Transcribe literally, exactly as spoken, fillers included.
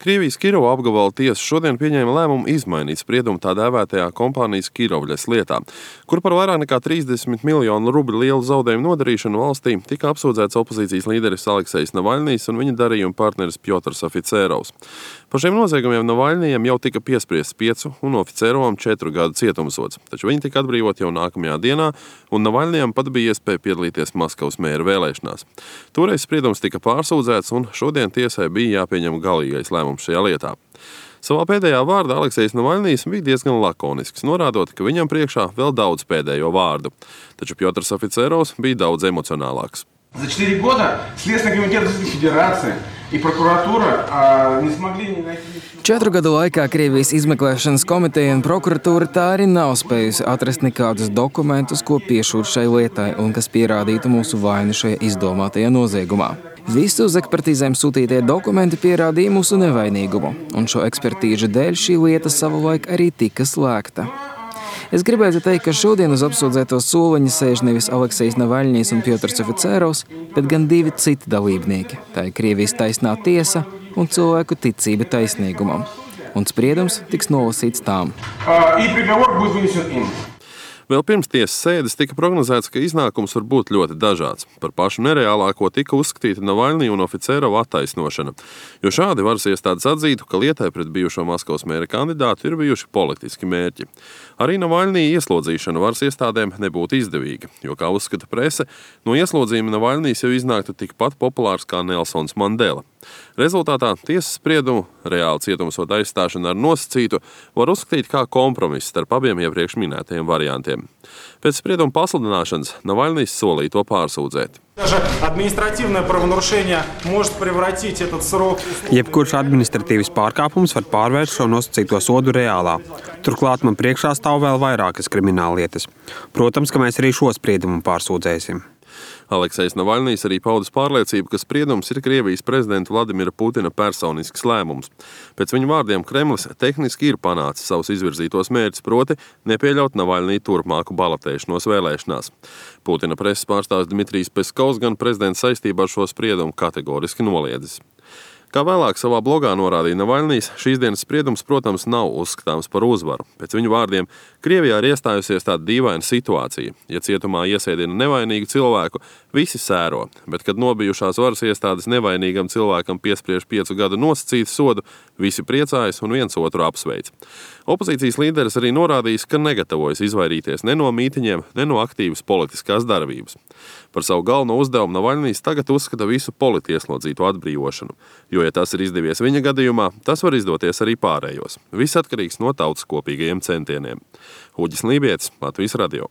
Krievijas Kirova apgabala tiesa šodien pieņēma lēmumu izmainīt spriedumu tā dēvētajā kompānijas Kirovļas lietā, kur par vairāk nekā trīsdesmit miljonu rubļu lielu zaudējumu nodarīšanu valstī tika apsūdzēts opozīcijas līderis Aleksejs Navaļnijs un viņa darījuma partneris Pjotrs Oficerovs. Par šiem noziegumiem Navaļnijam jau tika piespriests piecu un Oficerovam četru gadu cietumsods, taču viņi tika atbrīvoti jau nākamajā dienā, un Navaļnijam pat bija iespēja piedalīties Maskavas mēra vēlēšanās. Toreiz spriedums tika pārsūdzēts, un šodien tiesai bija jāpieņem galīgais lēmums šajā lietā. Savā pēdējā vārdā Aleksejs Navaļnijs bija diezgan lakonisks, norādot, ka viņam priekšā vēl daudz pēdējo vārdu, taču Pjotrs Oficerovs bija daudz emocionālāks. За четыре года Следственный комитет Российской Федерации и прокуратура не смогли не найти... Četru gadu laikā Krievijas izmeklēšanas komiteja un prokuratūra tā arī nav spējusi atrast nekādus dokumentus, ko piešūt šai lietai un kas pierādītu mūsu vainu šajā izdomātajā noziegumā. Visi uz ekspertīzēm sūtītie dokumenti pierādīja mūsu nevainīgumu, un šo ekspertīžu dēļ šī lieta savulaik arī tika slēgta. Es gribētu teikt, ka šodien uz apsūdzēto soliņa sēž nevis Aleksejs Navaļnijs un Pjotrs Oficerovs, bet gan divi citi dalībnieki. Tā ir Krievijas taisnā tiesa un cilvēku ticība taisnīgumam. Un spriedums tiks nolasīts tām. Vēl pirms tiesas sēdes tika prognozēts, ka iznākums var būt ļoti dažāds. Par pašu nereālāko tika uzskatīta Navaļnija un Oficerova attaisnošana, jo šādi varas iestādes atzītu, ka lietai pret bijušo Maskavas mēra kandidātu ir bijuši politiski mērķi. Arī Navaļnija ieslodzīšana varas iestādēm nebūtu izdevīga, jo, kā uzskata prese, no ieslodzījuma Navaļnijs jau iznāktu tikpat populārs kā Nelsons Mandela. Rezultātā tiesas spriedumu reāli cietumsoda aizstāšana ar nosacītu var uzskatīt kā kompromiss starp abiem iepriekš minētajiem variantiem. Pēc sprieduma pasludināšanas Navaļnijs solīja to pārsūdzēt. Jebkurš administratīvs pārkāpums var pārvērst šo nosacīto sodu reālā. Turklāt man priekšā stāv vēl vairākas krimināllietas. Protams, ka mēs arī šo spriedumu pārsūdzēsim. Aleksejs Navaļnijs arī paudis pārliecību, ka spriedums ir Krievijas prezidenta Vladimira Putina personisks lēmums. Pēc viņa vārdiem Kremlis tehniski ir panācis savus izvirzītos mērķus, proti nepieļaut Navaļniju turpmāku balotēšanos vēlēšanās. Putina preses pārstāvis Dmitrijs Peskovs gan prezidents saistībā ar šo spriedumu kategoriski noliedzis. Kā vēlāk savā blogā norādīja Navaļnijs, šīs dienas spriedums, protams, nav uzskatāms par uzvaru. Pēc viņu vārdiem, Krievijā ir iestājusies tāda dīvaina situācija. Ja cietumā iesēdina nevainīgu cilvēku, visi sēro, bet kad nobijušās varas iestādes nevainīgam cilvēkam piespriež piecu gadu nosacītu sodu, visi priecājas un viens otru apsveic. Opozīcijas līderis arī norādījis, ka negatavojas izvairīties ne no mītiņiem, ne no aktīvas politiskās darbības. Par savu galveno uzdevumu Navaļnijs tagad uzskata visu politieslodzīto atbrīvošanu, jo, ja tas ir izdevies viņa gadījumā, tas var izdoties arī pārējos. Viss atkarīgs no tautas kopīgajiem centieniem. Uģis Lībietis, Latvijas radio.